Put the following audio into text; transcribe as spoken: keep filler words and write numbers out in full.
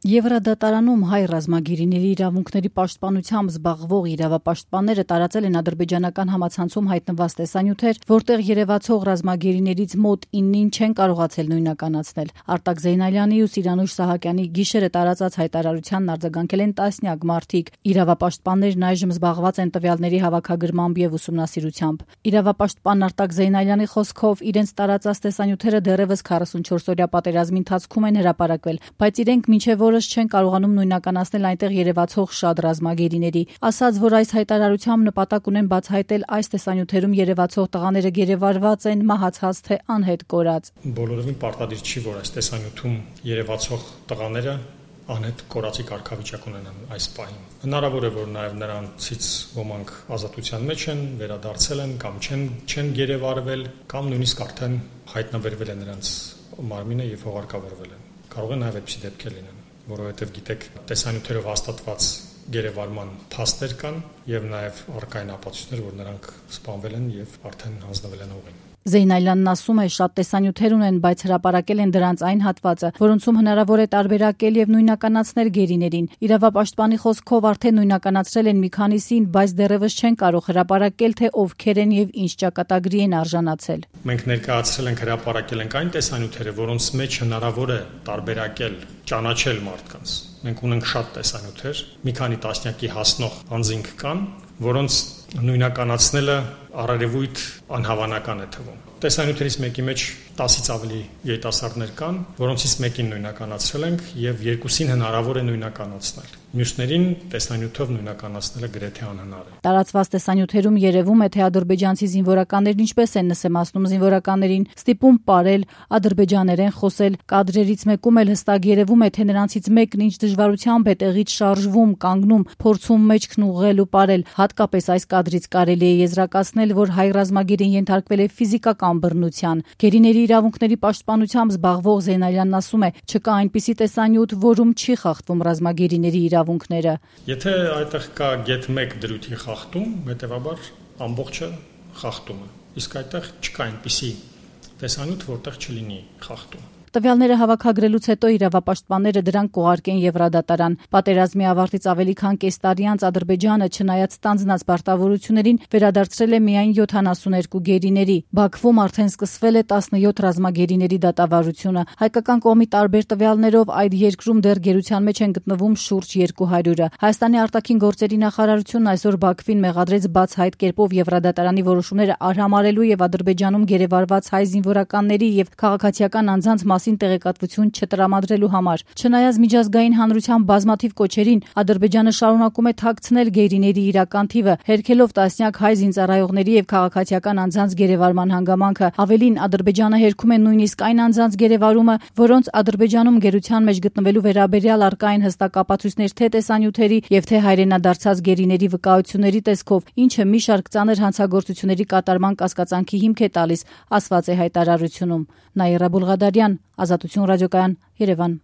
Եվրադատարանում հայ ռազմագերիների իրավունքների պաշտպանությամբ զբաղվող իրավապաշտպանները տարածել են ադրբեջանական համացանցում հայտնված տեսանյութեր, որտեղ երևացող ռազմագերիներից մոտ իննին չեն կարողացել նույնականացնել։ Արտակ Զեյնալյանի ու Սիրանուշ Սահակյանի գիշերը տարածած հայտարարությանն արձագանքել են տասնյակ մարդիկ։ Իրավապաշտպաններն այժմ զբաղված են տվյալների հավաքագրմամբ եւ ուսումնասիրությամբ։ Իրավապաշտպան Արտակ Զեյնալյանի խոսքով իրենց տարածած տեսանյութերը դեռևս քառասունչորս օրյա պատերազմի ընթացքում են հրապարակվել, բայց իրենք մինչև որս չեն կարողանում նույնականացնել այնտեղ երևացող շատ ռազմագերիների, ասաց, որ այս հայտարարությամբ նպատակ ունեն բացահայտել այս տեսանյութերում երևացող տղաները գերեվարված են, մահացած թե անհետ կորած։ Բոլորովին պարտադիր չի, որ այս տեսանյութում երևացող տղաները անհետ կորածի կարգավիճակ ունենան այս պահին։ Հնարավոր է, որ նաև նրանցից ոմանք ազատության մեջ են, վերադարձել են կամ չեն չեն գերեվարվել, կամ նույնիսկ արդեն հայտնաբերվել է նրանց մարմինը եւ հողարկավորվել են։ Կարող է նաև այդպիսի դեպքեր լինեն, որովհետև գիտեք, տեսանյութերով հաստատված գերեվարման փաստեր կան եւ նաև առկա են ապացույցներ, որ նրանք սպանվել են եւ արդեն հանձնվել են հողին։ Զեյնալյանն ասում է, շատ տեսանյութեր ունեն, բայց հրապարակել են դրանց այն հատվածը, որոնցում հնարավոր է տարբերակել եւ նույնականացնել գերիներին։ Իրավապաշտպանի խոսքով արդեն նույնականացրել են մի քանիսին, բայց դեռևս չեն կարող հրապարակել, թե ովքեր են եւ ինչ ճակատագրի են արժանացել։ Մենք ներկայացրել ենք, հրապարակել ենք այն տեսանյութերը, որոնց մեջ հնարավոր է տարբերակել, ճանաչել մարդկանց։ Մենք ունենք շատ տեսանյութեր, մի քանի տասնյակի հասնող անձինք կան, որոնց նույնականացնելը առերևույթ անհավանական է թվում։ Տեսանյութերից մեկի մեջ տասից ավելի երիտասարդներ կան, որոնցից մեկին նույնականացրել ենք եւ երկուսին հնարավոր է նույնականացնել։ Մյուսներին տեսանյութով նույնականացնելը գրեթե անհնար է։ Տարածված տեսանյութերում երևում է, թե ադրբեջանցի զինվորականներն ինչպես են նսեմացնում զինվորականներին, ստիպում պարել, ադրբեջաներեն խոսել։ Կադրերից մեկում էլ հստակ երևում է, թե նրանցից մեկն ինչ դժվարությամբ է տեղից շարժվում, կանգնում, փորձում մեջքն ուղղել ու պարել։ Հատկապես այս կադրից կարելի է եզրակացնել, որ հայ ռազմագերին ենթարկվել է ֆիզիկական բռնության։ Գերիների իրավունքների պաշտպանությամբ զբաղվող Զեյնալյանն ասում է, չկա այնպիսի տեսանյութ, որում չի խախտվում ռազմագերիների իրավունքները։ Եթե այդտեղ կա գեթ մեկ դրույթի խախտում, հետեւաբար ամբողջը խախտում է։ Իսկ այդտեղ չկա այնպիսի տեսանյութ, որտեղ չլինի խախտում։ Տվյալները հավաքագրելուց հետո իրավապաշտպանները դրանք կուղարկեն Եվրադատարան։ Պատերազմի ավարտից ավելի քան կես տարի անց Ադրբեջանը, չնայած ստանձնած պարտավորություններին, վերադարձրել է միայն յոթանասուներկու գերիների։ Բաքվում արդեն սկսվել է տասնյոթ ռազմագերիների դատավարությունը։ Հայկական կողմի տարբեր տվյալներով այդ երկրում դեռ գերության մեջ են գտնվում շուրջ երկու հարյուրը։ Հայաստանի արտաքին գործերի նախարարությունն այսօր Բաքվին մեղադրեց բացահայտ կերպով Եվրադատարանի որոշումները արհամարհելու եւ Ադրբեջանում գերեվարված հայ զինվորականների եւ քաղաքացիական անձանց տեղեկատվություն չտրամադրելու համար։ Չնայած միջազգային հանրության բազմաթիվ կոչերին, Ադրբեջանը շարունակում է թաքցնել գերիների իրական թիվը, հերքելով տասնյակ հայ զինծառայողների եւ քաղաքացիական անձանց գերեվարման հանգամանքը։ Ավելին, Ադրբեջանը հերքում է նույնիսկ այն անձանց գերեվարումը, որոնց Ադրբեջանում գերության մեջ գտնվելու վերաբերյալ առկա են հստակ ապացույցներ թե տեսանյութերի եւ թե հայրենադարձած գերիների վկայությունների տեսքով, ինչը մի շարք ծանր հանցագործությունների կատարման կասկածանքի հիմք է տալիս, ասված է հայտարարությունում։ Նաիրա Բուլղադարյան, Ազատություն ռադիոկայան, Երևան։